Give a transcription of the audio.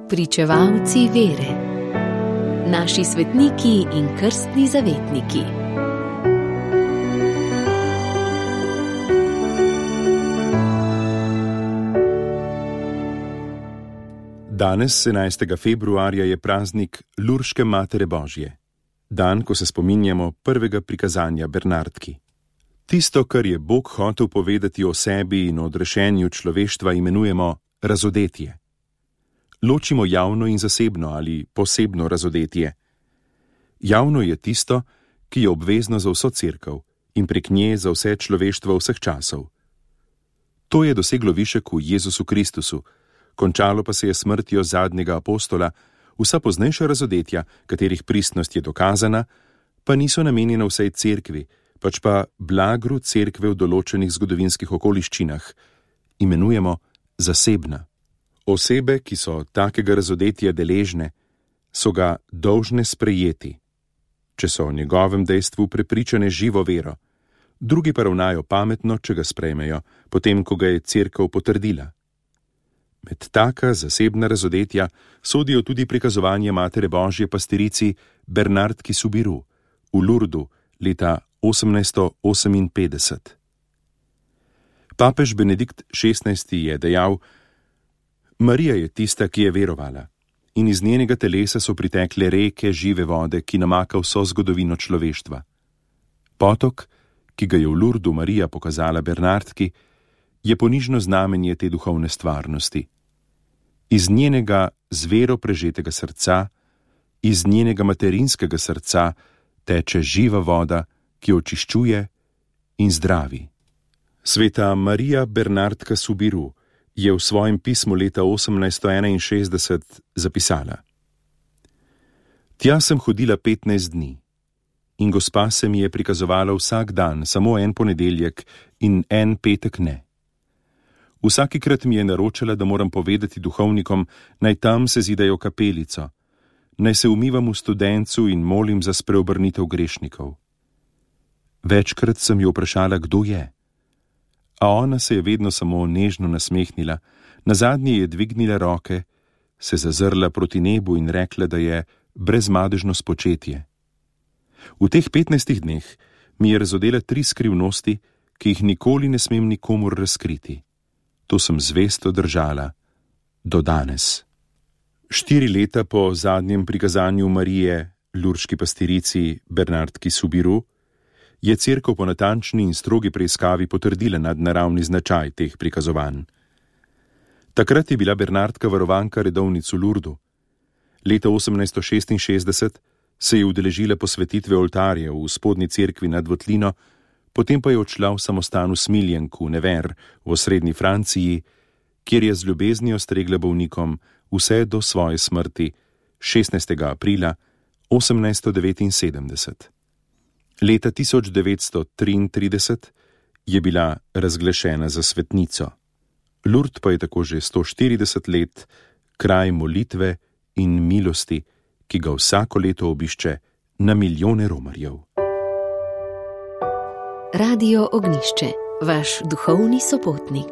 Pričevalci vere. Naši svetniki in krstni zavetniki. Danes, 11. februarja, je praznik Lurške Matere Božje, dan, ko se spominjamo prvega prikazanja Bernardki. Tisto, kar je Bog hotel povedati o sebi in o odrešenju človeštva, imenujemo razodetje. Ločimo javno in zasebno ali posebno razodetje. Javno je tisto, ki je obvezno za vso cerkev in prek nje za vse človeštvo vseh časov. To je doseglo višek v Jezusu Kristusu, končalo pa se je smrtjo zadnjega apostola, vsa poznejša razodetja, katerih pristnost je dokazana, pa niso namenjena vsej cerkvi, pač pa blagru cerkve v določenih zgodovinskih okoliščinah, imenujemo zasebna. Osebe, ki so takega razodetja deležne, so ga dolžne sprejeti, če so o njegovem dejstvu prepričane živo vero, drugi pa ravnajo pametno, če ga sprejmejo, potem, ko ga je cerkev potrdila. Med taka zasebna razodetja sodijo tudi prikazovanje Matere Božje pastirici Bernardki Soubirous v Lurdu leta 1858. Papež Benedikt XVI. Je dejal: Marija je tista, ki je verovala, in iz njenega telesa so pritekle reke žive vode, ki namaka vso zgodovino človeštva. Potok, ki ga je v Lurdu Marija pokazala Bernardki, je ponižno znamenje te duhovne stvarnosti. Iz njenega z vero prežetega srca, iz njenega materinskega srca teče živa voda, ki očiščuje in zdravi. Sveta Marija Bernardka Soubirous je v svojem pismu leta 1861 zapisala: Tja sem hodila 15 dni in Gospa se mi je prikazovala vsak dan, samo en ponedeljek in en petek ne. Vsakikrat mi je naročala, da moram povedati duhovnikom, naj tam sezidajo kapelico, naj se umivam v Studencu in molim za spreobrnitev grešnikov. Večkrat sem jo vprašala, kdo je, a ona se je vedno samo nežno nasmehnila, nazadnje je dvignila roke, se zazrla proti nebu in rekla, da je brezmadežno spočetje. V teh 15 dneh mi je razodela 3 skrivnosti, ki jih nikoli ne smem nikomur razkriti. To sem zvesto držala do danes. 4 leta po zadnjem prikazanju Marije lurški pastirici Bernardki Soubirous je cerkev po natančni in strogi preiskavi potrdila nadnaravni značaj teh prikazovanj. Takrat je bila Bernardka varovanka redovnic v Lurdu. Leta 1866 se je udeležila posvetitve oltarja v spodnji cerkvi nad Votlino, potem pa je odšla v samostan v Smiljenku, Nevers, v osrednji Franciji, kjer je z ljubeznijo stregla bolnikom vse do svoje smrti 16. aprila 1879. Leta 1933 je bila razglašena za svetnico. Lourdes pa je tako že 140 let kraj molitve in milosti, ki ga vsako leto obišče na milijone romarjev. Radio Ognjišče, vaš duhovni sopotnik.